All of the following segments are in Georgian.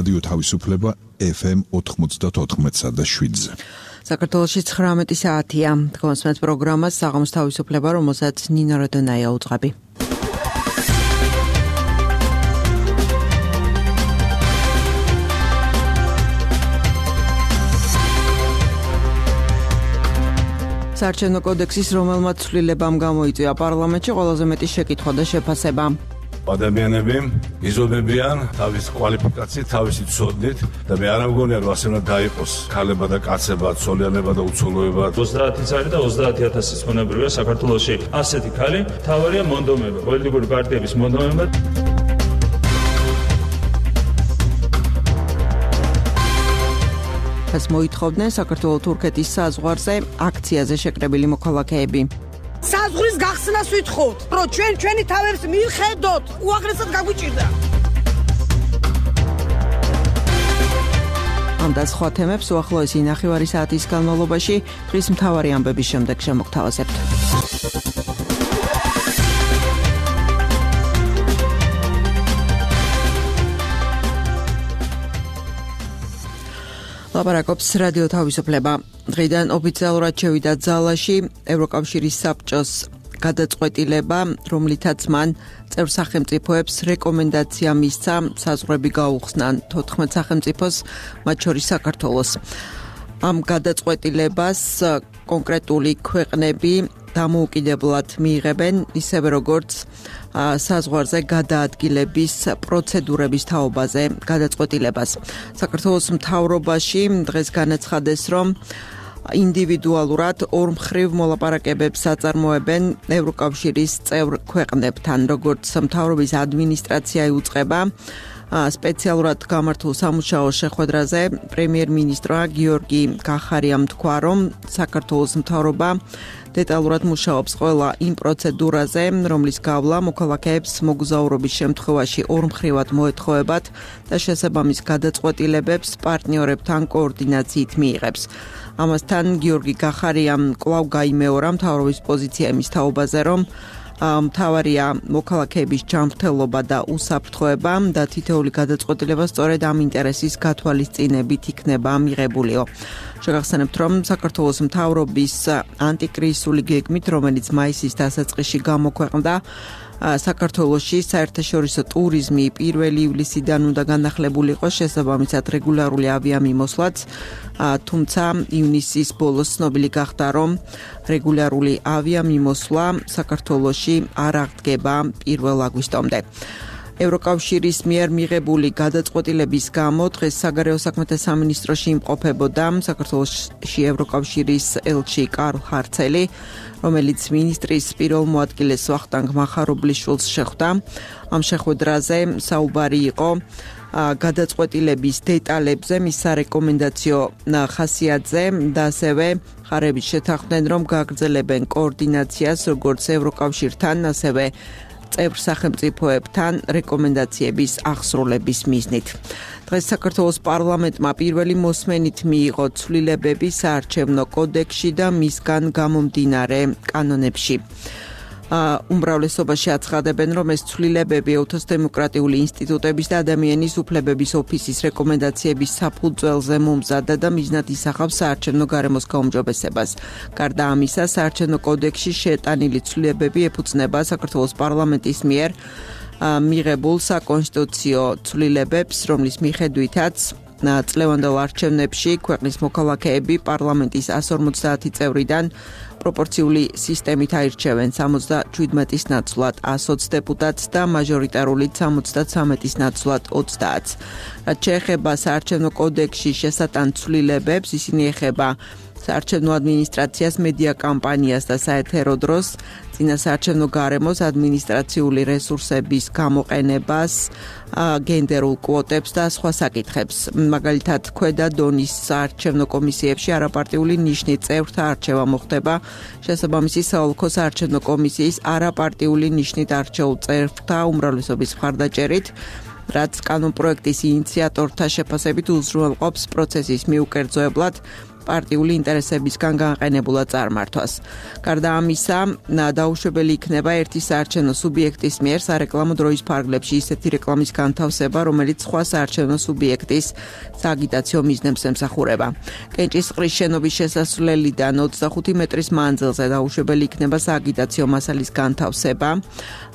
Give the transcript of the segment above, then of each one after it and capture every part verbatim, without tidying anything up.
რადიო თავისუფლება ეფ ემ ოთხმოცდაოთხ და შვიდზე. საქართველოში ცხრამეტი საათია. თქვენს პროგრამას საღამოს თავისუფლება, რომელსაც ნინო როდონაია უძღვები. საარჩევნო კოდექსის რომელმაც ცვლილებამ გამოიწვია პარლამენტში ყველაზე მეტი შეკითხვა და შეფასება. ადამიანები იზომებიან თავის კვალიფიკაციით, თავისი ცოდნით და მე არ მგონია რომ ასე უნდა დაიყოს ქალება და კაცება, ცოლიანება და უცოლოება. ოცდაათი წელი და ოცდაათი ათასის ხონებრივია საქართველოში ასეთი ქალი, თავარია მონდომება, პოლიტიკური პარტიების მონდომება. ეს მოითხოვდნენ საქართველო-თურქეთის საზღვარზე აქციაზე შეკრებილი მოქალაქეები. საზღვრის გახსნას ვითხოვთ, რომ ჩვენ ჩვენი თავებს მივხედოთ, უაღრესად გაგვიჭირდა. ამ და სხვა თემებს უახლოესი ნახევარი საათის განმავლობაში დღის მთავარი ამბების შემდეგ შემოგთავაზებთ. ლაპარაკობს რადიო თავისუფლება. დღიდან ოფიციალურად შევიდა ძალაში ევროკავშირის საბჭოს გადაწყვეტილება, რომლითაც მან წევრ სახელმწიფოებს რეკომენდაცია მისცა საზღვრები გაუხსნან თოთხმეტ სახელმწიფოს, მათ შორის საქართველოს. ამ გადაწყვეტილებას კონკრეტული ქვეყნები დამოუკიდებლად მიიღებენ, ისევე როგორც საზღვარზე გადაადგილების პროცედურების თაობაზე გადაწყვეტილებას. საქართველოს მთავრობაში დღეს განაცხადეს, რომ ინდივიდუალურად ორმხრივ მოლაპარაკებებს აწარმოებენ ევროკავშირის წევრ ქვეყნებთან, როგორც მთავრობის ადმინისტრაცია იუწყება სპეციალურად გამართულ სამუშაო შეხვედრაზე პრემიერ-მინისტრმა გიორგი კახარიამ თქვა, რომ საქართველოს მთავრობა დეტალურად მუშაობს ყველა იმ პროცედურაზე, რომლის გავლა მოქალაქეებს მოგზაურობის შემთხვევაში ორმხრივად მოეთხოვებათ და შესაბამის გადაწყვეტილებებს პარტნიორებთან კოორდინაციით მიიღებს. ამასთან გიორგი კახარიამ კვლავ გაიმეორა მთავრობის პოზიცია იმის თაობაზე, რომ მთავარია მოქალაქეების ჯანმრთელობა და უსაფრთხოება და თითოეული გადაწყვეტილება სწორედ ამ ინტერესის გათვალისწინებით იქნება მიღებულიო. შეგახსენებთ, რომ საქართველოს მთავრობის ანტიკრიზისული გეგმით, რომელიც მაისის დასაწყისში გამოქვეყნდა, საქართველოში საერთაშორისო ტურიზმი პირველი ივლისიდან უნდა განახლებულ იყოს, შესაბამისად რეგულარული ავიამიმოსვლაც, თუმცა ივნისის ბოლოს ცნობილი გახდა, რომ რეგულარული ავიამიმოსვლა საქართველოში არ აღდგება პირველ აგვისტომდე. ევროკავშირის მიერ მიღებული გადაწყვეტილების გამო დღეს საგარეო საქმეთა სამინისტროში იმყოფებოდა საქართველოში ევროკავშირის ელჩი კარლ ჰარცელი, რომელიც მინისტრის პირველ მოადგილეს ვახტანგ მახარობლიშვილს შეხვდა. ამ შეხვედრაზე საუბარი იყო გადაწყვეტილების დეტალებზე, მის სარეკომენდაციო ხასიათზე და ასევე მხარეები შეთანხმდნენ, რომ გაგრძელებენ კოორდინაციას როგორც ევროკავშირთან, ასევე წევრ სახელმწიფოებთან რეკომენდაციების აღსრულების მიზნით. დღეს საქართველოს პარლამენტმა პირველი მოსმენით მიიღო ცვლილებები საარჩევნო კოდექსში და მისგან გამომდინარე კანონებში. უმრავლესობაში აცხადებენ, რომ ეს ცვლილებები ეთნოს დემოკრატიული ინსტიტუტების და ადამიანის უფლებების ოფისის რეკომენდაციების საფუძველზე მომზადდა და მიზნად ისახავს საარჩევნო გარემოს გაუმჯობესებას. გარდა ამისა, საარჩევნო კოდექსში შეტანილი ცვლილებები ეფუძნება საქართველოს პარლამენტის მიერ მიღებულ საკონსტიტუციო ცვლილებებს, რომლის მიხედვითაც წლევანდელ არჩევნებში ქვეყნის მოქალაქეები პარლამენტის ასი ორმოცდაათი წევრიდან პროპორციული სისტემით აირჩევენ სამოცდაშვიდმეტის ნაცვლად ას ოცი დეპუტატს და მაჟორიტარულით სამოცდათვრამეტის ნაცვლად ოცდაათს. რაც შეეხება საარჩევნო კოდექსში შესატან ცვლილებებს, ისინი ეხება საარჩევნო ადმინისტრაციას, მედია კამპანიას და საეთერო დროს, წინასაარჩევნო გარემოს, ადმინისტრაციული რესურსების გამოყენებას, გენდერულ კვოტებს და სხვა საკითხებს. მაგალითად, ქვედა დონის საარჩევნო კომისიებში არაპარტიული ნიშნით წევრთა არჩევა მოხდება, შესაბამისი საოლქო საარჩევნო კომისიის არაპარტიული ნიშნით არჩეულ წევრთა უმრავლესობის მხარდაჭერით, რაც კანონპროექტის ინიციატორთა შეფასებით უზრუნველყოფს პროცესის მიუკერძოებლად პარტიული ინტერესებისგან განყენებულად წარმართვას. გარდა ამისა, დაუშვებელი იქნება ერთი საარჩევნო სუბიექტის მიერ სარეკლამო დროის ფარგლებში ისეთი რეკლამის განთავსება, რომელიც სხვა საარჩევნო სუბიექტის სააგიტაციო მიზნებს ემსახურება. კენჭისყრის შენობის შესასვლელიდან ოცდახუთი მეტრის მანძილზე დაუშვებელი იქნება სააგიტაციო მასალის განთავსება,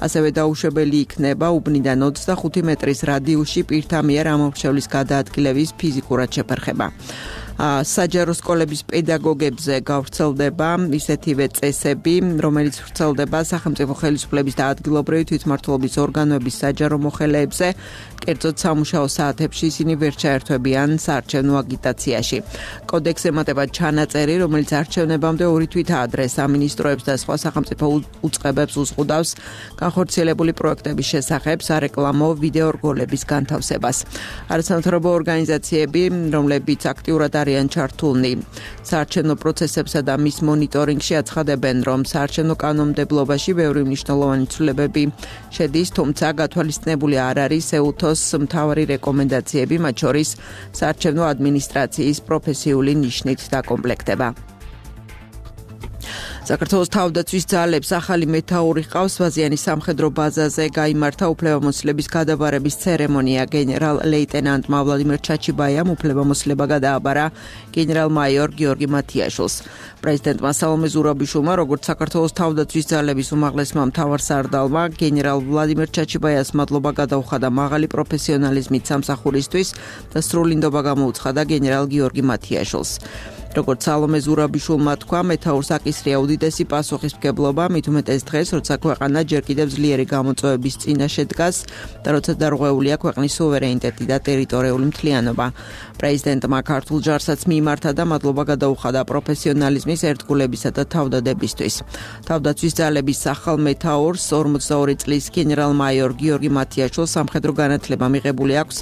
ასევე დაუშვებელი იქნება უბნიდან ოცდახუთი მეტრის რადიუსში პირთა მიერ ამომრჩევლის გადაადგილების ფიზიკურად შეფერხება. საჯარო სკოლების პედაგოგებზე გავრცელდება ისეთივე წესები, რომელიც ვრცელდება სახელმწიფო ხელისუფლების და ადგილობრივი თვითმმართველობის ორგანოების საჯარო მოხელეებზე, კერძოდ სამუშაო საათებში ისინი ვერ ჩაერთვებიან საარჩევნო აგიტაციაში. კოდექსს ემატება ჩანაწერი, რომელიც არჩევნებამდე ორი თვით ადრე სამინისტროებს და სხვა სახელმწიფო უწყებებს უზღუდავს განხორციელებული პროექტების შესახებ სარეკლამო ვიდეო რგოლების განთავსებას. არასამთავრობო ორგანიზაციები, რომლებიც აქტიურად არიან ჩართულნი საარჩევნო პროცესებსა და მის მონიტორინგში, აცხადებენ, რომ საარჩევნო კანონმდებლობაში ბევრი მნიშვნელოვანი ცვლილებები შედის, თუმცა გათვალისწინებული არ არის ეუთოს მთავარი რეკომენდაციები, მათ შორის საარჩევნო ადმინისტრაციის პროფესიული ნიშნით დაკომპლექტება. საქართველოს თავდაცვის ძალებს ახალი მეთაური ჰყავს. ვაზიანის სამხედრო ბაზაზე გაიმართა უფლებამოსილების გადაბარების ცერემონია. გენერალ-ლეიტენანტმა ვლადიმერ ჩაჩიბაიამ უფლებამოსილება გადააბარა გენერალ-მაიორ გიორგი მათიაშვილს. პრეზიდენტმა სალომე ზურაბიშვილმა, როგორც საქართველოს თავდაცვის ძალების უმაღლესმა მთავარსარდალმა, გენერალ ვლადიმერ ჩაჩიბაიას მადლობა გადაუხადა მაღალი პროფესიონალიზმით სამსახურისთვის და სრული ნდობა გამოუცხადა გენერალ გიორგი მათიაშვილს. როგორც სალომე ზურაბიშვილმა თქვა, მეთაურს აკისრია უდიდესი პასუხისმგებლობა, მით უმეტეს დღეს, როცა ქვეყანა ჯერ კიდევ ძლიერი გამოწვევების წინაშე დგას და როცა დარღვეულია ქვეყნის სუვერენიტეტი და ტერიტორიული მთლიანობა. პრეზიდენტმა ქართულ ჯარსაც მიიმართა და მადლობა გადაუხადა პროფესიონალიზმის, ერთგულებისა და თავდადებისთვის. თავდაცვის ძალების ახალ მეთაურს ორმოცდაორი წლის გენერალ-მაიორ გიორგი მათიაშვილს სამხედრო განათლება მიღებული აქვს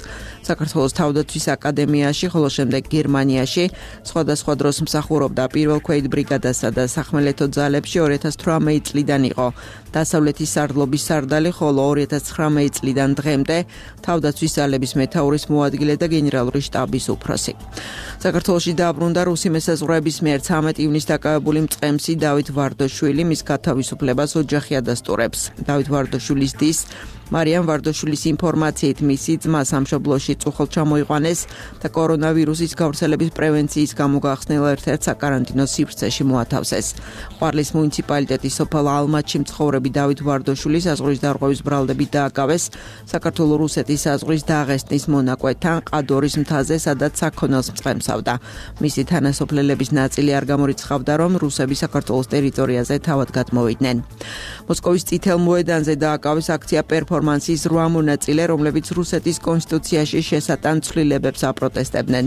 საქართველოს თავდაცვის აკადემიაში, ხოლო შემდეგ გერმანიაში, სხვადასხვა დროს მსახურობდა პირველ ქვეით ბრიგადასა და სახმელეთო ძალებში. ორი ათას თვრამეტი წლიდან იყო დასავლეთის სარდლობის სარდალი, ხოლო ორი ათას ცხრამეტი წლიდან დღემდე თავდაცვის ძალების მეთაურის მოადგილე და გენერალური შტაბის უფროსი. საქართველოში დააბრუნდა რუსი მესაზღვრეების მიერ ცამეტ ივნისს დაკავებული მწყემსი დავით ვარდოშვილი, მის გათავისუფლებას ოჯახი ადასტურებს. დავით ვარდოშვილის დის მარიამ ვარდოშვილის ინფორმაციით მისი ძმა სამშობლოში წუხლ ჩამოიყვანეს და კორონავირუსის გავრცელების პრევენციის გამო გახსნილ ერთ-ერთ საკარანტინო სივრცეში მოათავსეს. ყვარლის მუნიციპალიტეტის სოფელ ალმატში მცხოვრები დავით ვარდოშვილი საზღვრის დარღვევის ბრალდებით დააკავეს საქართველო-რუსეთის საზღვრის დაღესტნის მონაკვეთთან ყადორის მთაზე, სადაც საქონელს მწყემსავდა. მისი თანასოფლელების ნაწილი არ გამორიცხავდა, რომ რუსები საქართველოს ტერიტორიაზე თავად გადმოვიდნენ. მოსკოვის წითელ მოედანზე დააკავეს აქცია პერფორმანსის რვა მონაწილე, რომლებიც რუსეთის კონსტიტუციაში შესატან ცვლილებებს აპროტესტებდნენ.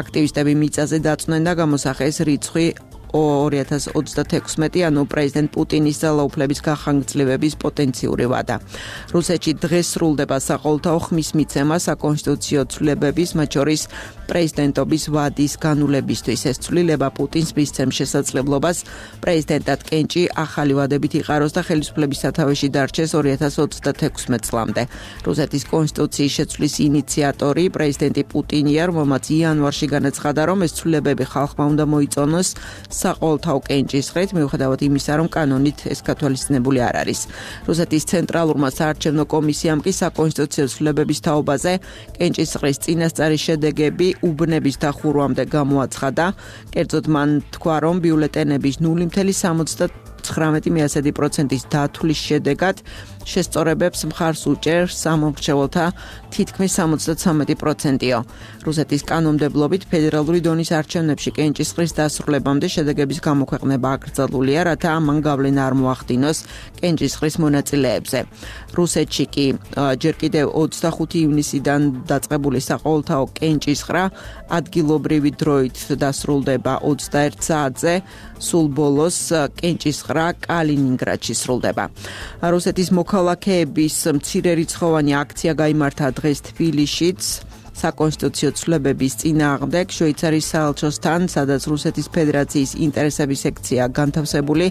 აქტივისტები მიწაზე დაწვნენ და გამოსახეს რიცხვი ორი ათას ოცდათექვსმეტი, ანუ პრეზიდენტ პუტინის ძალაუფლების გახანგრძლივების პოტენციური ვადა. რუსეთში დღეს სრულდება საყოველთაო ხმის მიცემა საკონსტიტუციო ცვლილებების, მათ შორის პრეზიდენტობის ვადის განულებისთვის. ეს ცვლილება პუტინს მისცემს შესაძლებლობას პრეზიდენტად კენჭი ახალი ვადებით იყაროს და ხელისუფლების სათავეში დარჩეს ორი ათას ოცდათექვსმეტ წლამდე. რუსეთის კონსტიტუციის შეცვლის ინიციატორი პრეზიდენტი პუტინია, რომელმაც იანვარში განაცხადა, რომ ეს ცვლილებები ხალხმა უნდა მოიწონოს საყოველთაო კენჭისყრით, მიუხედავად იმისა, რომ კანონით ეს გათვალისწინებული არ არის. რუსეთის ცენტრალურმა საარჩევნო კომისიამ კი საკონსტიტუციო ცვლილებების თაობაზე კენჭისყრის წინასწარი შედეგები უბნების დახურვამდე გამოაცხადა. კერძოდ მან თქვა, რომ ბიულეტენების ნული მცდელობა ცხრამეტი პროცენტის დათვლის შედეგად შესწორებებს მხარს უჭერს სამომრჩეველთა თითქმის სამოცდათვრამეტი პროცენტიო. რუსეთის კანონმდებლობით ფედერალური დონის არჩევნებში კენჭისყრის დასრულებამდე შედეგების გამოქვეყნება აკრძალულია, რათა ამან გავლენა არ მოახდინოს კენჭისყრის მონაწილეებზე. რუსეთში კი ჯერ კიდევ ოცდახუთი ივნისიდან დაწყებული საყოველთაო კენჭისყრა ადგილობრივი დროით დასრულდება ოცდაერთ საათზე, სულ ბოლოს კენჭისყრა კალინინგრადში სრულდება. რუსეთის მოქალაქეების მცირერიცხოვანი აქცია გაიმართა დღეს თბილისშიც საკონსტიტუციო ცვლილებების წინააღმდეგ შვეიცარიის საელჩოსთან, სადაც რუსეთის ფედერაციის ინტერესების სექცია განთავსებული.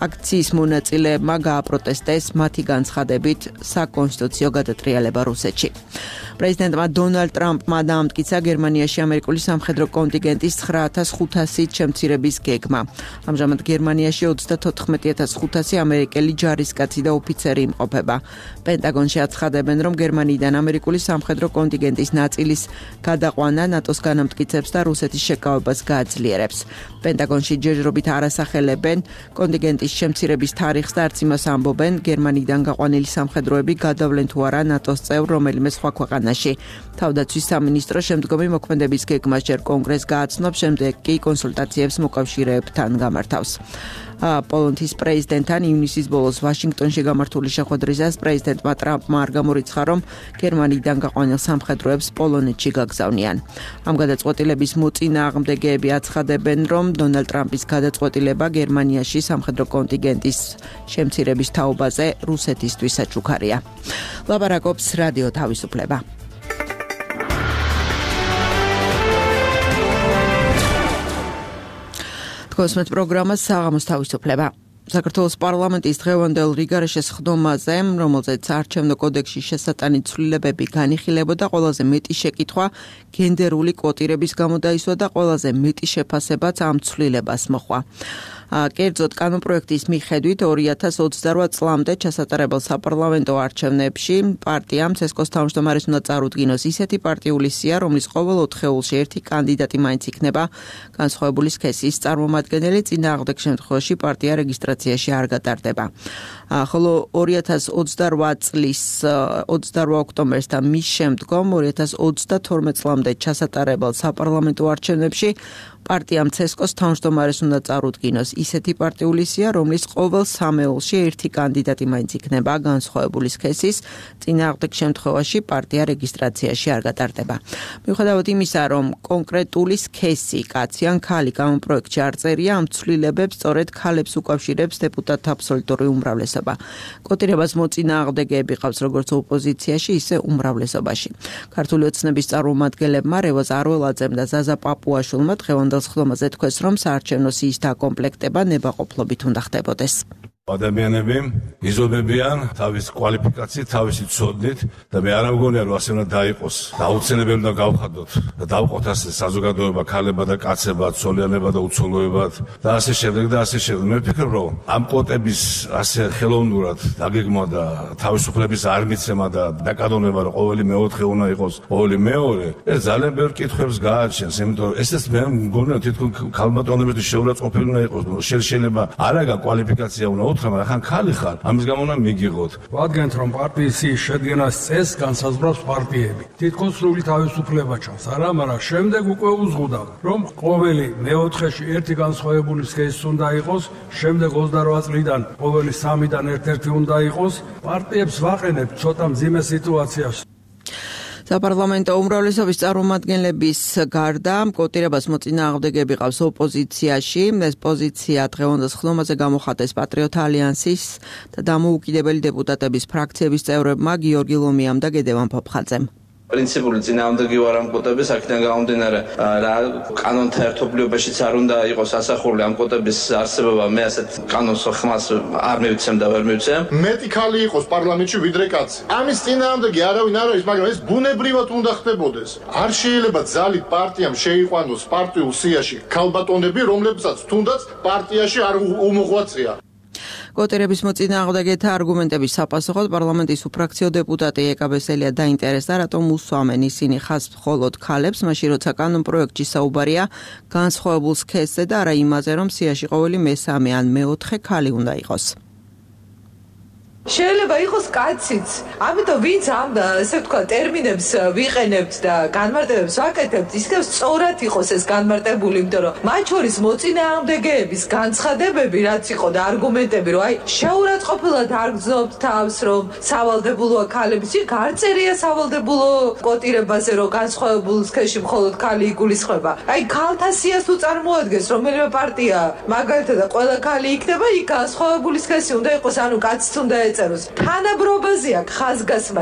აქციის მონაწილეებმა გააპროტესტეს მათი განცხადებით საკონსტიტუციო გადატრიალება რუსეთში. პრეზიდენტმა დონალდ ტრამპმა დაამტკიცა გერმანიაში ამერიკული სამხედრო კონტინგენტის ცხრა ათას ხუთასით შემცირების გეგმა. ამჟამად გერმანიაში ოცდათოთხმეტი ათას ხუთასი ამერიკელი ჯარისკაცი და ოფიცერი იმყოფება. პენტაგონში აცხადებენ, რომ გერმანიიდან ამერიკული სამხედრო კონტინგენტის ნაწილის გადაყვანა ნატოს განამტკიცებს და რუსეთის შეკავებას გააძლიერებს. პენტაგონში ჯერჯერობით არასახელებენ კონტინგენტის შემცირების თარიღს და არც იმას ამბობენ, გერმანიიდან გაყვანილი სამხედროები გადავლენ თუ არა ნატოს წევრ რომელიმე სხვა ქვეყანაში. თავდაცვის სამინისტრო შემდგომი მოქმედების გეგმას ჯერ კონგრესს გააცნობს, შემდეგ კი კონსულტაციებს მოკავშირეებთან გამართავს. პოლონეთის პრეზიდენტთან ივნისის ბოლოს ვაშინგტონში გამართული შეხვედრისას პრეზიდენტმა ტრამპმა არ გამორიცხა, რომ გერმანიიდან გაყვანილ სამხედროებს პოლონეთში გაგზავნიან. ამ გადაწყვეტილების მოწინააღმდეგეები აცხადებენ, რომ დონალდ ტრამპის გადაწყვეტილება გერმანიაში სამხედრო კონტინგენტის შემცირების თაობაზე რუსეთისთვის საჩუქარია. ლაპარაკობს რადიო თავისუფლება. კოსმეთ პროგრამა საღამოს თავისუფლება. საქართველოს პარლამენტის დღევანდელ რიგარეშეს ხდომაზე, რომელზეც არჩევნო კოდექსში შესატანი ცვლილებები განიხილებოდა, ყველაზე მეტი შეკითხვა გენდერული კვოტირების გამო დაისვა და ყველაზე მეტი შეფასებაც ამ ცვლილებას მოჰყვა. კერძოდ კანონპროექტის მიხედვით ორი ათას ოცდარვა წლამდე ჩასატარებელ საპარლამენტო არჩევნებში პარტიამ ცესკოს თავმჯდომარეს უნდა წარუდგინოს ისეთი პარტიული სია, რომლის ყოველ ოთხეულში ერთი კანდიდატი მაინც იქნება განსხვავებული სქესის წარმომადგენელი, წინააღმდეგ შემთხვევაში პარტია რეგისტრაციაში არ გატარდება. ხოლო ორი ათას ოცდარვა წლის ოცდარვა ოქტომბერს და მის შემდგომ ორი ათას ოცდათორმეტ წლამდე ჩასატარებელ საპარლამენტო არჩევნებში პარტიამ ცესკოს თავმჯდომარეს უნდა წარუდგინოს ისეთი პარტიული სია, რომლის ყოველ სამეულში ერთი კანდიდატი მაინც იქნება განსხვავებული სქესის, წინააღმდეგ შემთხვევაში პარტია რეგისტრაციაში არ გატარდება. მიუხედავად იმისა, რომ კონკრეტული სქესი, კაცი ან ქალი კანონპროექტში არ წერია, ამ ცვლილებებს სწორედ ქალებს უკავშირებს დეპუტატთა აბსოლუტური უმრავლესობა. კოტირებას მოწინააღმდეგეები ყავს როგორც ოპოზიციაში, ისე უმრავლესობაში. ქართული ოცნების წარმომადგენლებმა რევაზ არველაძემ და ზაზა პაპუაშვილმა დღევანდელ ხდომაზე თქვეს, რომ საარჩევნო სიის დაკომპლექტება ნებაყოფლობით უნდა ხდებოდეს. ადამიანები იზრდებიან თავის კვალიფიკაციით, თავისი ცოდნით და მე არ მგონია რომ ასე უნდა დაიყოს. დაუცინებელი უნდა გავხადოთ და დავყოთ ასე საზოგადოება, ქალებად და კაცებად, ცოლიანებად და უცოლოებად და ასე შემდეგ და ასე შემდეგ. მე ვფიქრობ, რომ ამ კვოტების ასე ხელოვნურად დაგეგმვა და თავისუფლების არ მიცემა და დაკანონება, რომ ყოველი მეოთხე უნდა იყოს ყოველი მეორე, ეს ძალიან ბევრ კითხვებს გააჩენს, იმიტომ რომ ესეც მე მგონია თითქოს ქალბატონებისთვის შეურაცხყოფილი უნდა იყოს. შეიძლება არაგა კვალიფიკაცია უნდა მაგრამ ახან ქალი ხარ, ამის გამო უნდა მიგიღოთ. ვადგენთ, რომ პარტიის შედგენას წესს განსაზღვრავს პარტიები. თითქოს სრული თავისუფლება ჩანს, არა, მაგრამ შემდეგ უკვე უზღუდავ, რომ ყოველი მეოთხეში ერთი განსხვავებული სქესი უნდა იყოს, შემდეგ ოცდარვა წლიდან ყოველი სამიდან ერთ-ერთი უნდა იყოს. პარტიებს ვაყენებთ ცოტა მძიმე სიტუაციაში. საპარლამენტო უმრავლესობის წარმომადგენლების გარდა კოტირებას მოწინააღმდეგეები ყავს ოპოზიციაში. ეს პოზიცია დღევანდელ ხდომაზე გამოხატეს პატრიოტ ალიანსის და დამოუკიდებელი დეპუტატების ფრაქციების წევრებმა გიორგი ლომიამ და გედევან ფოფხაძემ. პრინციპული წინააღმდეგი ვარ ამ კოტების, აქედან გამომდინარე რა კანონთა ერთობლიობაშიც არ უნდა იყოს ასახული ამ კოტების არსებობა, მე ასეთ კანონს ხმას არ მივცემ და ვერ მივცემ. მეტი ქალი იყოს პარლამენტში ვიდრე კაცი. ამის წინააღმდეგი არავინ არ არის, მაგრამ ეს ბუნებრივად უნდა ხდებოდეს. არ შეიძლება ძალით პარტიამ შეიყვანოს პარტიულ სიაში ქალბატონები, რომლებსაც თუნდაც პარტიაში არ უმოღვაწეა. კოტირების მოწინააღმდეგეთა არგუმენტების საპასუხოდ პარლამენტის უფრაქციო დეპუტატი ეკა ბესელია დაინტერესდა, რატომ უსვამენ ისინი ხაზს მხოლოდ ქალებს, მაშინ როცა კანონპროექტში საუბარია განსხვავებულ სქესზე და არა იმაზე, რომ სიაში ყოველი მესამე ან მეოთხე ქალი უნდა იყოს. შეიძლება იყოს კაციც. ამიტომ ვინც ამ ესე ვთქვა ტერმინებს ვიყენებთ და განმარტებებს ვაკეთებთ, ისევ სწორად იყოს ეს განმარტებული, იმიტომ რომ მათ შორის მოწინააღმდეგეების განცხადებები რაც იყო და არგუმენტები, რომ აი შეურაცხყოფილად არ გრძნობთ თავს, რომ სავალდებულოა ქალების, იქ არ წერია სავალდებულო კოტირებაზე, რომ განსხვავებულ სქესში მხოლოდ ქალი იგულისხმება. აი ქალთა სიას თუ წარმოადგენს რომელიმე პარტია, მაგალითად და ყველა ქალი იქნება, იქ განსხვავებული სქესი უნდა იყოს, ანუ კაციც უნდა ეწეროს. თანაბრობაზეა ხაზგასმა.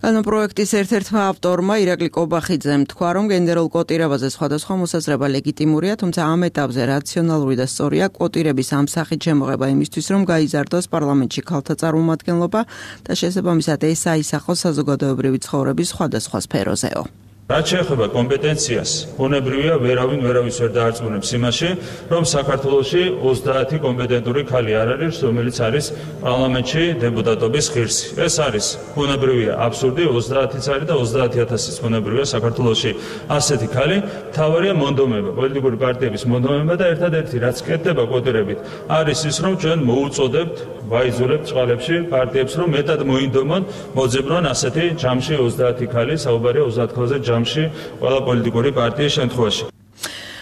განმაპროექტის ერთ-ერთმა ავტორმა ირაკლი კობახიძემ თქვა, რომ გენდერულ კოტირებაზე სხვადასხვა მოსაზრება ლეგიტიმურია, თუმცა ამ ეტაპზე რაციონალური და სწორია კოტირების ამ სახით შემოღება იმისთვის, რომ გაიზარდოს პარლამენტში ქალთა წარმომადგენლობა და შესაბამისად ეს აისახოს საზოგადოებრივი ცხოვრების სხვადასხვა სფეროზეო. რაც შეეხება კომპეტენციას, ბუნებრივია ვერავინ ვერავის ვერ დაარწმუნებს იმაში, რომ საქართველოში ოცდაათი კომპეტენტური ქალი არ არის, რომელიც არის პარლამენტში დეპუტატობის ღირსი. ეს არის ბუნებრივია აბსურდი, ოცდაათიც არის და ოცდაათი ათასიც ბუნებრივია საქართველოში ასეთი ქალი. მთავარია მონდომება, პოლიტიკური პარტიების მონდომება და ერთადერთი რაც კეთდება კოტირებით, არის ის, რომ ჩვენ მოუწოდებთ, ვაიზულებთ წყალებში პარტიებს, რომ მეტად მოინდომონ, მოძებრონ ასეთი ჯამში ოცდაათი ქალი, საუბარია ოცდაათ ქალზე ჯამში ყველა პოლიტიკური პარტიის შემთხვევაში.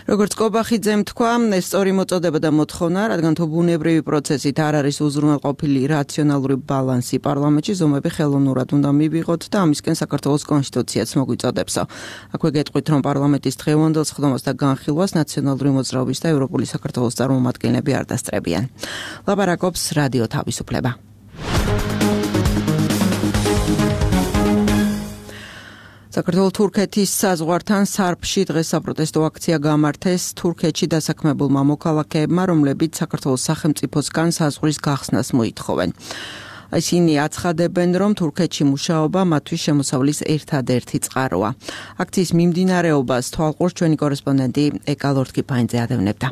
როგორც კობახიძემ თქვა, ეს სწორი მოწოდება და მოთხოვნა, რადგან თუ ბუნებრივი პროცესით არ არის უზრუნველყოფილი რაციონალური ბალანსი პარლამენტში, ზომები ხელოვნურად უნდა მივიღოთ და ამისკენ საქართველოს კონსტიტუციაც მოგვიწოდებსო. აქვე გეტყვით, რომ პარლამენტის დღევანდელ სხდომას და განხილვას ნაციონალური მოძრაობის და ევროპული საქართველოს წარმომადგენლები არ დასწრებიან. ლაპარაკობს რადიო თავისუფლება. საქართველოს-თურქეთის საზღვართან სარფში დღეს საპროტესტო აქცია გამართეს თურქეთში დასაქმებულმა მოქალაქეებმა, რომლებიც საქართველოს სახელმწიფოსგან საზღვრის გახსნას მოითხოვენ. ისინი აცხადებენ, რომ თურქეთში მუშაობა მათთვის შემოსავლის ერთადერთი წყაროა. აქციის მიმდინარეობას თვალყურს ჩვენი კორესპონდენტი ეკა ლორთქიფაინძე ადევნებდა.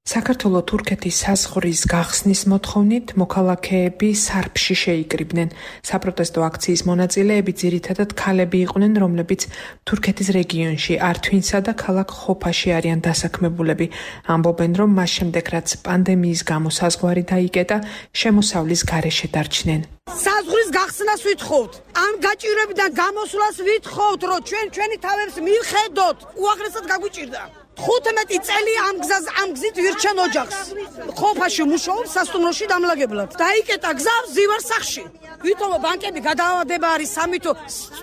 საქართველოს-თურქეთის საზღვრის გახსნის მოთხოვნით მოქალაქეები სარფში შეიკრიბნენ. საპროტესტო აქციის მონაწილეები ძირითადად ქალები იყვნენ, რომლებიც თურქეთის რეგიონში ართვინსა და ქალაქ ხოფაში არიან დასაქმებულები. ამბობენ, რომ მას შემდეგ, რაც პანდემიის გამო საზღვარი დაიკეტა, შემოსავლის გარეშე დარჩნენ. საზღვრის გახსნას ვითხოვთ. ამ გაჭირვებიდან გამოსვლას ვითხოვთ, რომ ჩვენ ჩვენი თავებს მივხედოთ. უაღრესად გაგვიჭირდა. ხუთმეტი წელი ამ გზას ამ გზით ვირჩენ ოჯახს. ხოფაში მუშაობს სასტუმროში დამლაგებლად. დაიკეტა გზა ზივარსახში. ვითომ ბანკები გადაავადება არის სამითო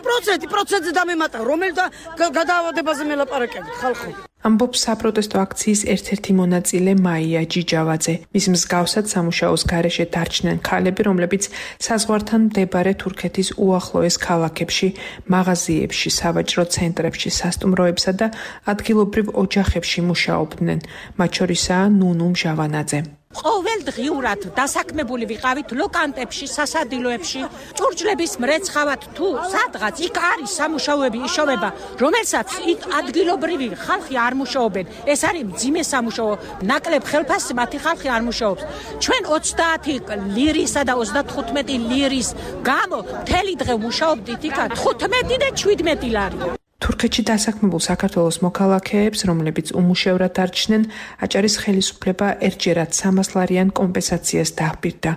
პროცენტი პროცენტზე დამემატა, რომელ და გადაავადებაზე მელაპარაკებით ხალხო. ამბობს საპროტესტო აქციის ერთ-ერთი მონაწილე მაია ჯიჯავაძე. მის მსგავსად სამუშაოს გარეშე დარჩნენ ქალები, რომლებიც საზღვართან მდებარე თურქეთის უახლოეს ქალაქებში, მაღაზიებში, სავაჭრო ცენტრებში, სასტუმროებსა და ადგილობრივ ოჯახებში მუშაობდნენ. მათ შორისაა ნუნუ მჟავანაძე. ყოველდღიურად დასაქმებული ვიყავით ლოკანტებში, სასადილოებში, ჭურჭლების მრეცხავად თუ სადღაც იქ არის სამუშაოები იშოვება, რომელსაც იქ ადგილობრივი ხალხი არ მუშაობენ. ეს არის მძიმე სამუშაო, ნაკლებ ხელფასზე მათი ხალხი არ მუშაობს. ჩვენ ოცდაათი ლირისა და ოცდათხუთმეტი ლირის გამო მთელი დღე მუშაობდით იქ თხუთმეტი და შვიდმეტი ლარი. თურქეთში დასაქმებულ საქართველოს მოქალაქეებს, რომლებიც უმუშევრად დარჩნენ, აჭარის ხელისუფლება ერთჯერად სამას ლარიან კომპენსაციას დაჰპირდა.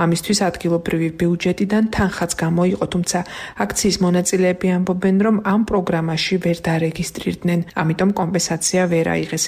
ამისთვის ადგილობრივი ბიუჯეტიდან თანხაც გამოიყო, თუმცა აქციის მონაწილეები ამბობენ, რომ ამ პროგრამაში ვერ დარეგისტრირდნენ, ამიტომ კომპენსაცია ვერ აიღეს.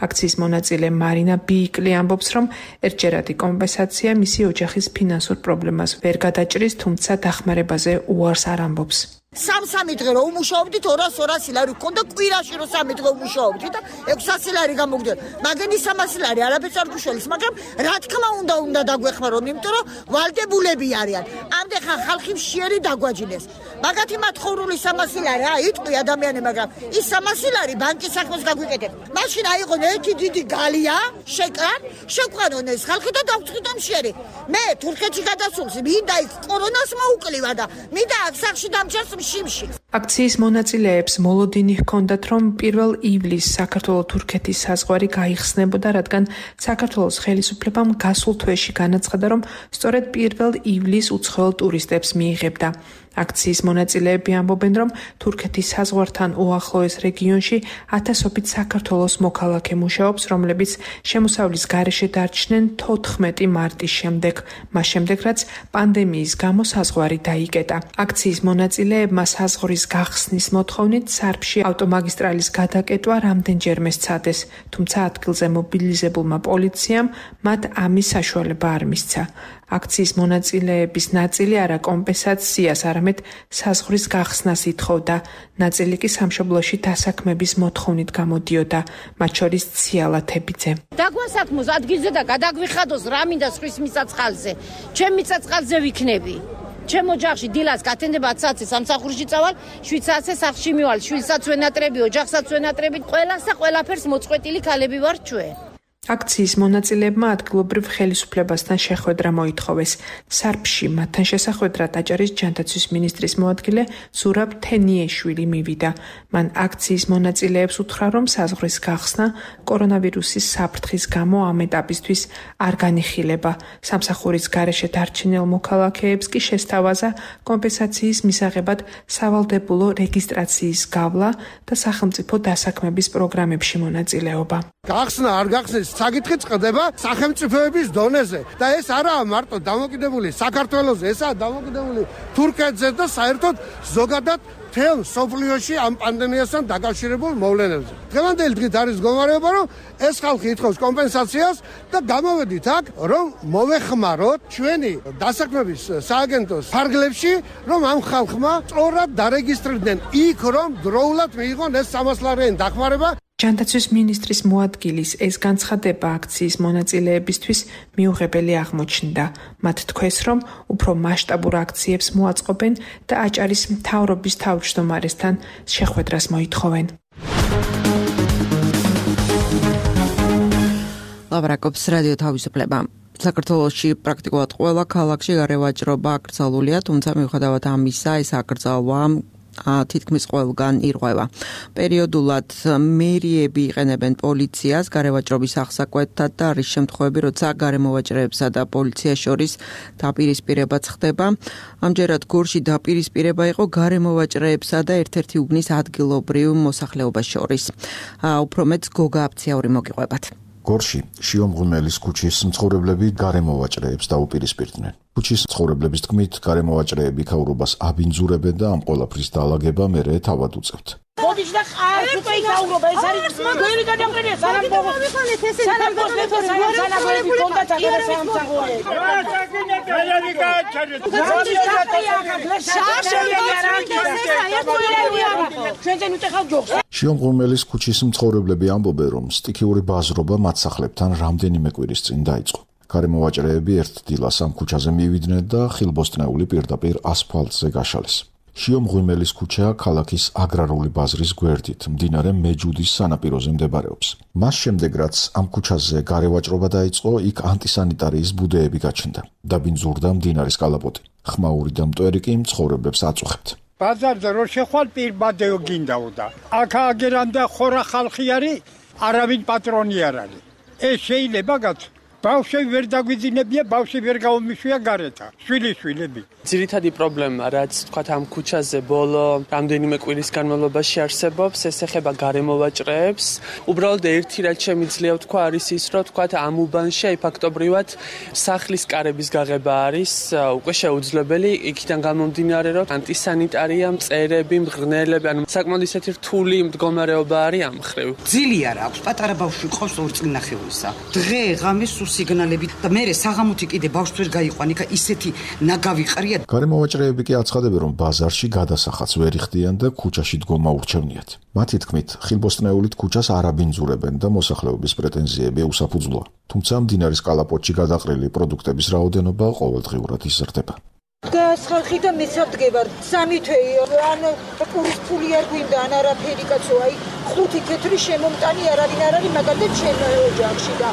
აქციის მონაწილე მარინა ბიიკლი ამბობს, რომ ერთჯერადი კომპენსაცია მისი ოჯახის ფინანსურ პრობლემას ვერ გადაჭრის, თუმცა დახმარებაზე უარს არ ამბობს. სამ-სამი დღე რომ უმუშაობდით ორას ორასი ლარი გქონდა, კვირაში რომ სამი დღე უმუშაობდით და ექვსასი ლარი გამოგვდიოდა. მაგენ ის სამასი ლარი არაფერს არ გუშველის, მაგრამ რა თქმა უნდა უნდა დაგვეხმარონ, იმიტომ რომ ვალდებულები არიან. ამდენ ხალხი მშიერი დაგვაჯინეს. მაგათი მათხოვრული სამასი ლარი, აი იტყვი ადამიანი, მაგრამ ის სამასი ლარი ბანკის საქმეს გაგვიკეთებ. მაშინ აიღონ ერთი დიდი გალია, შეკრან, შეყვანონ ეს ხალხი და დავწყვიტო მშიერი. მე თურქეთში გადასულს მინდა იქ კორონას მოუკლივა და მინდა აქ სახში დამჭერს შიმში. აქციის მონაწილეებს მოლოდინი ჰქონდათ, რომ პირველ ივლისს საქართველოს-თურქეთის საზღვარი გაიხსნებოდა, რადგან საქართველოს ხელისუფლებამ გასულ თვეში განაცხადა, რომ სწორედ პირველ ივლისს უცხოელ ტურისტებს მიიღებდა. აქციის მონაწილეები ამბობენ, რომ თურქეთის საზღვართან უახლოეს რეგიონში ათასობით საქართველოს მოქალაქე მუშაობს, რომლებიც შემოსავლის გარეშე დარჩნენ თოთხმეტი მარტის შემდეგ, მას შემდეგ, რაც პანდემიის გამო საზღვარი დაიკეტა. აქციის მონაწილეებმა საზღვრის გახსნის მოთხოვნით სარფში ავტომაგისტრალის გადაკეტვა რამდენჯერმე სცადეს, თუმცა ადგილზე მობილიზებულმა პოლიციამ მათ ამის საშუალება არ მისცა. აქციის მონაწილეების ნაწილი არა კომპენსაციას, არამედ საზღვრის გახსნას ითხოვდა. ნაწილი კი სამშობლოში დასაქმების მოთხოვნით გამოდიოდა, მათ შორის ციალა თებიძე. დაგვასაქმოს ადგილზე და გადაგვიხადოს რა მინდა სხვის მიწა-წყალზე. ჩემ მიწა-წყალზე ვიქნები. ჩემ ოჯახში დილას გათენდება ათი საათზე სამსახურში წავალ, შვიდ საათზე სახლში მივალ, შვილსაც ვენატრები, ოჯახსაც ვენატრები, ყველას და ყველაფერს მოწყვეტილი ქალები ვართ ჩვენ. აქციის მონაწილეებმა ადგილობრივ ხელისუფლებასთან შეხვედრა მოითხოვეს. სარფში მათთან შესახვედრად აჭარის ჯანდაცვის მინისტრის მოადგილე ზურაბ თენიეშვილი მივიდა. მან აქციის მონაწილეებს უთხრა, რომ საზღვრის გახსნა კორონავირუსის საფრთხის გამო ამ ეტაპისთვის არ განიხილება. სამსახურის გარეშე დარჩენილ მოქალაქეებს კი შესთავაზა კომპენსაციის მისაღებად სავალდებულო რეგისტრაციის გავლა და სახელმწიფო დასაქმების პროგრამებში მონაწილეობა. გახსნა არ გახსნეს საკითხი წყდება სახელმწიფოების დონეზე და ეს არაა მარტო დამოკიდებული საქართველოზე, ესაა დამოკიდებული თურქეთზე და საერთოდ ზოგადად მთელ სოფლიოში ამ პანდემიასთან დაკავშირებულ მოვლენებზე. დღევანდელი დღით არის მდგომარეობა, რომ ეს ხალხი ითხოვს კომპენსაციას და გამოვედით აქ, რომ მოვეხმაროთ ჩვენი დასაქმების სააგენტოს ფარგლებში, რომ ამ ხალხმა სწორად დარეგისტრირდნენ იქ, რომ დროულად მიიღონ ეს სამას ლარიანი დახმარება. ჯანდაცვის მინისტრის მოადგილის ეს განცხადება აქციის მონაწილეებისთვის მიუღებელი აღმოჩნდა. მათ თქვეს, რომ უფრო მასშტაბურ აქციებს მოაწყობენ და აჭარის მთავრობის თავმჯდომარესთან შეხვედრას მოითხოვენ. ლავრაკობს რადიო თავისუფლება. საქართველოში პრაქტიკულად ყველა ქალაქში გარევაჭრობა აკრძალულია, თუმცა მიუხედავად ამისა, ეს აკრძალვა თითქმის ყველგან ირღვევა. პერიოდულად მერიები იყენებენ პოლიციას გარევაჭრობის აღსაკვეთად და არის შემთხვევები, როცა გარემოვაჭრეებსა და პოლიციას შორის დაპირისპირებაც ხდება. ამჯერად გორში დაპირისპირება იყო გარემოვაჭრეებსა და ერთ-ერთი უბნის ადგილობრივ მოსახლეობას შორის. უფრო მეტს გოგა აფციაური მოგიყვებათ. გორში შიო მღვიმელის ქუჩის მცხოვრებლები გარემოვაჭრეებს დაუპირისპირდნენ. ქუჩის მცხოვრებლების თქმით, გარემოვაჭრეები ქაურობას აბინძურებენ და ამ ყველაფრის დაალაგება მერე თავად უწევთ. მოდის და ყავს უკვე იქაურობა, ეს არის გვერი გადამყენია სანამ მოვიხანეთ ესე სანამ მოსლეთო სანამ კონდათ აღარ სამსახური. შიო მღვიმელის ქუჩის მცხოვრებლები ამბობენ, რომ სტიქიური ბაზრობა მათ სახლებთან რამდენიმე კვირის წინ დაიწყო. გარემოვაჭრეები ერთ დილას ამ ქუჩაზე მივიდნენ და ხილბოსტნეული პირდაპირ ასფალტზე გაშალეს. შიო მღვიმელის ქუჩა ქალაქის აგრარული ბაზრის გვერდით, მდინარე მეჯუდის სანაპიროზე მდებარეობს. მას შემდეგ, რაც ამ ქუჩაზე გარევაჭრობა დაიწყო, იქ ანტისანიტარიის ბუდეები გაჩნდა. დაბინძურდა მდინარის კალაპოტი. ხმაური და მტვერი კი მცხოვრებლებს აწუხებთ. ბაზარზე რო შეხვალ პირბადეო გინდაოდა. აქ აგერანდა ხორა ხალხი არის, არავინ პატრონი არ არის. ეს შეიძლება გაც ბავშვები ვერ დაგვიძინებია, ბავშვი ვერ გაუმიშვია გარეთა, შვილიშვილები. ძირითადი პრობლემა, რაც თქვათ ამ ქუჩაზე ბოლო რამდენიმე კვირის განმავლობაში არსებობს, ეს ეხება გარემოვაჭრეებს. უბრალოდ ერთი რაც შემიძლია ვთქვა არის ის, რომ თქვათ ამ უბანში აი ფაქტობრივად სახლის კარების გაღება არის უკვე შეუძლებელი, იქიდან გამომდინარე, რომ ანტისანიტარია, მწერები, მღრღნელები, ანუ საკმაოდ ისეთი რთული მდგომარეობა არის ამ მხრივ. ძილი არა აქვს, პატარა ბავშვი ყავს ორი წლის ნახევრისა. დღე ღამე სიგნალებით და მე საღამოთი კიდე ბავშვს ვერ გაიყვან, იქა ისეთი ნაგავი ყრია. გარემოვაჭრეები კი აცხადებენ, რომ ბაზარში გადასახადს ვერ იხდიან და ქუჩაში დგომა ურჩევნიათ. მათი თქმით, ხილბოსტნეულით ქუჩას არ აბინძურებენ და მოსახლეობის პრეტენზიები უსაფუძვლოა. თუმცა მდინარის კალაპოტში გადაყრილი პროდუქტების რაოდენობა ყოველდღიურად იზრდება. დგას ხალხი და მესადგებარ სამი თვეი, ანუ პურის ფული არ გვინდა, ან არაფერი კაცო, აი ხუთი თეთრი შემომტანი არავინ არ არის მაგალითად ჩემ ოჯახში და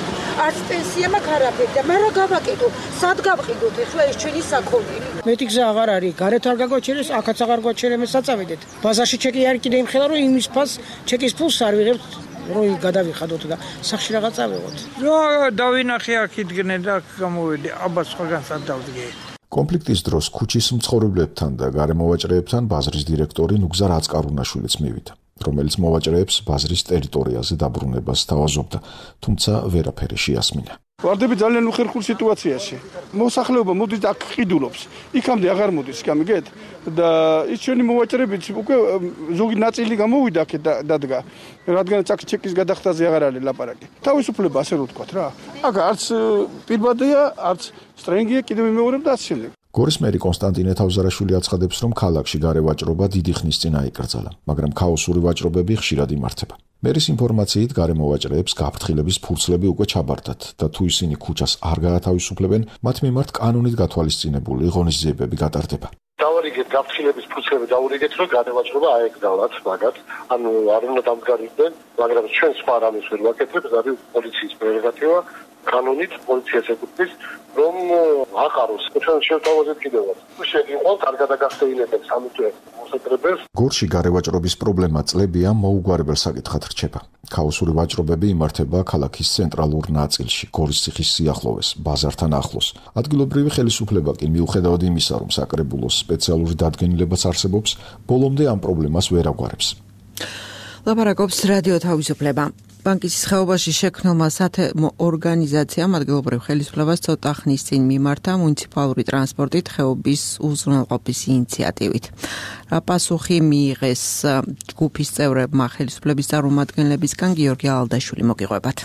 არც პენსია მაქვს არაფერი და მაგრამ გავაკეთო, სად გავყიდოთ ახლა ეს ჩვენი საქონელი. მეტი გზა აღარ არის, გარეთ არ გაგვაჩერეს, აქაც აღარ გვაჩერემ საწავედეთ. ბაზარში ჩეკი არ კიდე იმხელა, რომ იმის ფას ჩეკის ფულს არ ვიღებთ. რო გადავიხადოთ და სახში რაღაც ავიღოთ. რა დავინახე აქ იდგნენ და გამოვედი, აბა სხვაგან სად დავდგე. კონფლიქტის დროს ქუჩის მცხოვრებლებთან და გარემოვაჭრეებთან ბაზრის დირექტორი ნუგზარ აწკარუნაშვილიც მივიდა, რომელიც მოვაჭრეებს ბაზრის ტერიტორიაზე დაბრუნებას სთავაზობდა, თუმცა ვერაფერი შეასმინა. ვარდები ძალიან უხერხულ სიტუაციაში. მოსახლეობა მოდის აქ ყიდულობს. იქამდე აღარ მოდის, გამიგეთ? და ის ჩვენი მოვაჭრეებიც უკვე ზოგი ნაწილი გამოვიდა აქ და დადგა. რადგანაც აქ ჩეკის გადახდაზე აღარ არის ლაპარაკი. თავისუფლება ასე რომ ვთქვათ რა. აქ არც პირბადია, არც სტრენგია კიდევ იმეორებ და ასე შემდეგ. გორის მერი კონსტანტინე თავზარაშვილი აცხადებს, რომ ქალაქში გარევაჭრობა დიდი ხნის წინ აიკრძალა, მაგრამ ქაოსური ვაჭრობები ხშირად იმართება. მერის ინფორმაციით გარემოვაჭრეებს გაფრთხილების ფურცლები უკვე ჩაბარდათ და თუ ისინი ქუჩას არ გაათავისუფლებენ, მათ მიმართ კანონით გათვალისწინებული ღონისძიებები გატარდება. დავარიგეთ გაფრთხილების ფურცლები დავარიგეთ, რომ განევაჭრობა აეკდალათ მაგათ, ანუ არ უნდა დამდგარიდნენ, მაგრამ ჩვენ სხვა რამეს ვერ ვაკეთებთ, არის პოლიციის პრეროგატივა, კანონით პოლიციას ეკუთვნის, რომ აყაროს. ჩვენ შევთავაზეთ კიდევაც. შეგიყვანთ არ გადაგახსეინებთ სამი თვე მოსატრებელს. გორში გარევაჭრობის პრობლემა წლებია მოუგვარებელ საკითხად რჩება. ქაოსური ვაჭრობები იმართება ქალაქის ცენტრალურ ნაწილში, გორის ციხის სიახლოვეს, ბაზართან ახლოს. ადგილობრივი ხელისუფლება კი მიუხედავად იმისა, რომ საკრებულოს სპეციალური დადგენილებაც არსებობს, ბოლომდე ამ პრობლემას ვერ აგვარებს. ლაპარაკობს რადიო თავისუფლება. ბანკის ხეობაში შექმნილმა სათემო ორგანიზაციამ ადგილობრივ ხელისუფლებას ცოტა ხნის წინ მიმართა მუნიციპალური ტრანსპორტით ხეობის უზრუნველყოფის ინიციატივით. რა პასუხი მიიღეს ჯგუფის წევრებმა ხელისუფლების წარმომადგენლებისგან გიორგი ალდაშვილი მოგიყვებათ.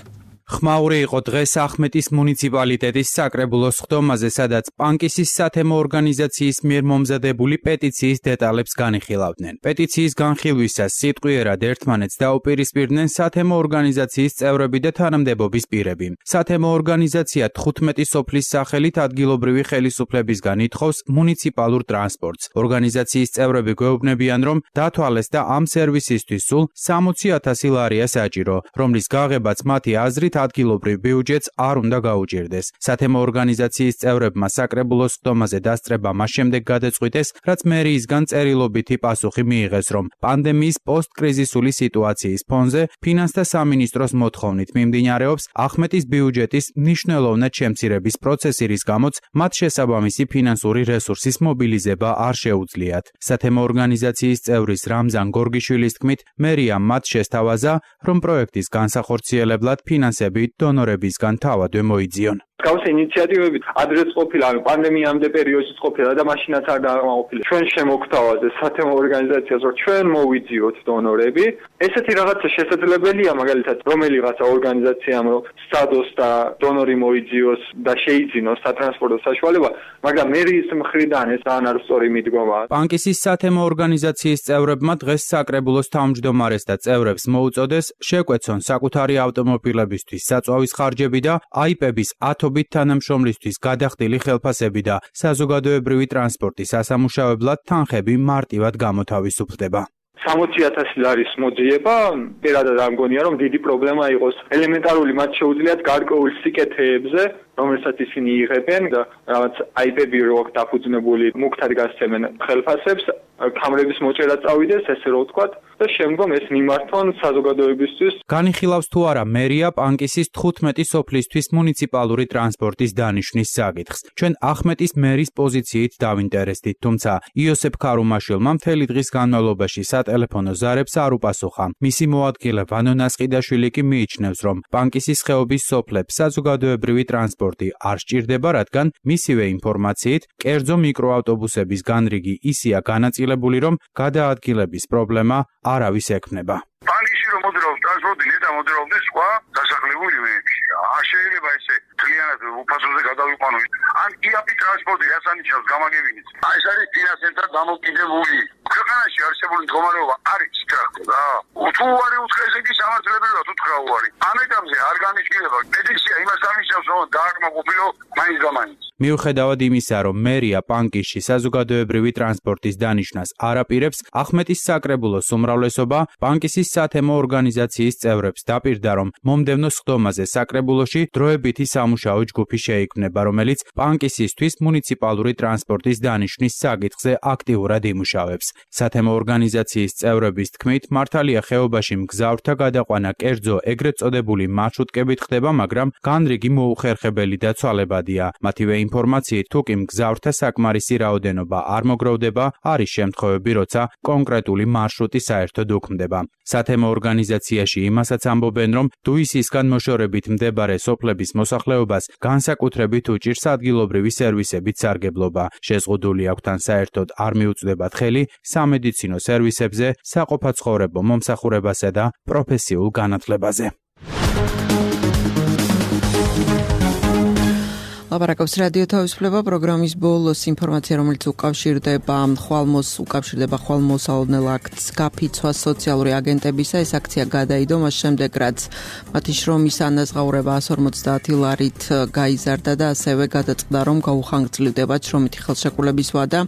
ხმაური იყო დღეს ახმეტის მუნიციპალიტეტის საკრებულოს ხდომაზე, სადაც პანკისის სათემო ორგანიზაციის მიერ მომზადებული პეტიციის დეტალებს განიხილავდნენ. პეტიციის განხილვისას სიტყვიერად ერთმანეთს დაუპირისპირდნენ სათემო ორგანიზაციის წევრები და თანამდებობის პირები. სათემო ორგანიზაცია თხუთმეტი სოფლის სახელით ადგილობრივი ხელისუფლებისგან ითხოვს მუნიციპალურ ტრანსპორტს. ორგანიზაციის წევრები გვეუბნებიან, რომ დათვალეს და ამ სერვისისთვის სულ სამოცი ათასი ლარია საჭირო, რომლის გაღებაც მათი აზრით ადგილობრივ ბიუჯეტს არ უნდა გაუჭირდეს. სათემო ორგანიზაციის წევრებმა საკრებულოს ხდომაზე დასწრება მას შემდეგ გადაწყვიტეს, რაც მერიისგან წერილობითი პასუხი მიიღეს, რომ პანდემიის პოსტკრიზისული სიტუაციის ფონზე ფინანსთა სამინისტროს მოთხოვნით მიმდინარეობს ახმეტის ბიუჯეტის მნიშვნელოვნად შემცირების პროცესი, რის გამოც მათ შესაბამისი ფინანსური რესურსის მობილიზება არ შეუძლიათ. სათემო ორგანიზაციის წევრის რამზან გორგიშვილის თქმით, მერიამ მათ შესთავაზა, რომ პროექტის განსახორციელებლად ფინანსები დონორებისგან თავადვე მოიძიონ. Გავსე ინიციატივებით ადრეც ყოფილა, პანდემიამდე პერიოდშიც ყოფილა და მაშინაც არ დაამოყოფილა. ჩვენ შემოგთავაზეს სათემო ორგანიზაციას, რომ ჩვენ მოვიძიოთ დონორები. ესეთი რაღაცა შესაძლებელია, მაგალითად, რომელიღაცა ორგანიზაციამ რომ სტადოს და დონორი მოიძიოს და შეიძინოს სატრანსპორტო საშუალება, მაგრამ მერის მხრიდან ეს ძალიან არ სწორი მიდგომაა. პანკისის სათემო ორგანიზაციის წევრებმა დღეს საკრებულოს თავმჯდომარეს და წევრებს მოუწოდეს შეკვეცონ საკუთარი ავტომობილებისთვის საწვავის ხარჯები და აიპების ათობით თანამშრომლისთვის გადახდილი ხელფასები და საზოგადოებრივი ტრანსპორტის ასამუშავებლად თანხები მარტივად გამოთავისუფლდება. სამოცი ათასი ლარის მოძიება, პირადად არ მგონია, რომ დიდი პრობლემა იყოს. ელემენტარული მათ შეუძლიათ გარკვეულ სიკეთეებზე, რომელსაც ისინი იღებენ და რაღაც აიპები რო დაფუძნებული მუქთად გასცემენ ხელფასებს, კამრების მოჭერა წავიდეს, ესე რომ ვთქვათ, და შემდგომ ეს მიმართონ საზოგადოებისთვის. განიხილავს თუ არა მერია პანკისის თხუთმეტი სოფლისთვის მუნიციპალური ტრანსპორტის დანიშვნის საკითხს. ჩვენ ახმეტის მერის პოზიციით დავინტერესდით, თუმცა იოსებ ქარუმაშვილმა მთელი დღის განმავლობაში სატელეფონო ზარებს არ უპასუხა. მისი მოადგილე ვანო ნასყიდაშვილი კი მიიჩნევს, რომ პანკისის ხეობის სოფლებს საზოგადოებრივი ტრანსპორტი არ სჭირდება, რადგან მისივე ინფორმაციით კერძო მიკროავტობუსების განრიგი ისეა განაწილებული, რომ გადაადგილების პრობლემა არავის ექმნება. პანკისში რომ მოძრაობს ტრანსპორტი, ნეტა მოძრაობდეს სხვა დასახლებული ვენებში. არ შეიძლება ესე მთლიანად უფასოზე გადავიყვანო. ან იაპი ტრანსპორტი რაც ანიშნავს გამაგებინიც. აი ეს არის ფინანსებთან დამოკიდებული. ქვეყანაში არსებული მდგომარეობა არის სწრაფი და თუ არის უცხეს იგი სამართლებრივად უთხრა უარი. ამ ეტაპზე არ განისკილება. პეტიცია იმას ამისავს, რომ დააკმაყოფილო მაინც გამაინც. მიუხედავად იმისა, რომ მერია პანკისში საზოგადოებრივი ტრანსპორტის დანიშვნას არ აპირებს, ახმეტის საკრებულოს უმრავლესობა პანკისის სათემო ორგანიზაციის წევრებს დაპირდა, რომ მომდევნო სხდომაზე საკრებულოში დროებითი სამუშაო ჯგუფი შეიქმნება, რომელიც პანკისისთვის მუნიციპალური ტრანსპორტის დანიშვნის საკითხზე აქტიურად იმუშავებს. სათემო ორგანიზაციის წევრების თქმით, მართალია ხეობაში მგზავრთა გადაყვანა კერძო ეგრეთ წოდებული მარშრუტკებით ხდება, მაგრამ განრიგი მოუხერხებელი და ცვალებადია. მათივე ინფორმაციით, თუ კი მგზავრთა საკმარისი რაოდენობა არ მოგროვდება, არის შემთხვევები, როცა კონკრეტული მარშრუტი საერთოდ უქმდება. სათემო ორგანიზაციაში იმასაც ამბობენ, რომ დუისისგან მოშორებით მდებარე სოფლების მოსახლეობას განსაკუთრებით უჭირს ადგილობრივი სერვისებით სარგებლობა. შეზღუდული აქვთ ან საერთოდ არ მიუწვდებათ ხელი სამედიცინო სერვისებზე, საყოფაცხოვრებო მომსახურებასა და პროფესიულ განათლებაზე. ლაპარაკობს რადიო თავისუფლება პროგრამის ბოლოს ინფორმაცია, რომელიც უკავშირდება ხვალმოს უკავშირდება ხვალმოსალოდნელ აქტს გაფიცვას სოციალური აგენტებისა. ეს აქცია გადაიდო მას შემდეგ, რაც მათი შრომის ანაზღაურება εκατს ორმოცდაათი ლარით გაიზარდა და ასევე გადაწყდა, რომ გაუხანგრძლივდებათ შრომითი ხელშეკრულების ვადა.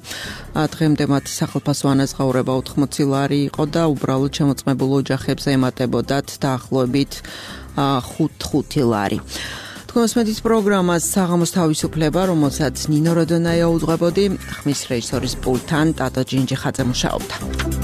დღემდე მათი სახელფასო ანაზღაურება ოთხმოცი ლარი იყო და უბრალოდ შემოწმებულ ოჯახებს ემატებოდათ დაახლოებით ხუთი ლარი. თქვენს მედიის პროგრამას საღამოს თავისუფლება, რომელსაც ნინო როდონაია უძღვებოდი, ხმის რეჟისორის პულტთან ტატო ჯინჯი ხაძე მუშაობდა.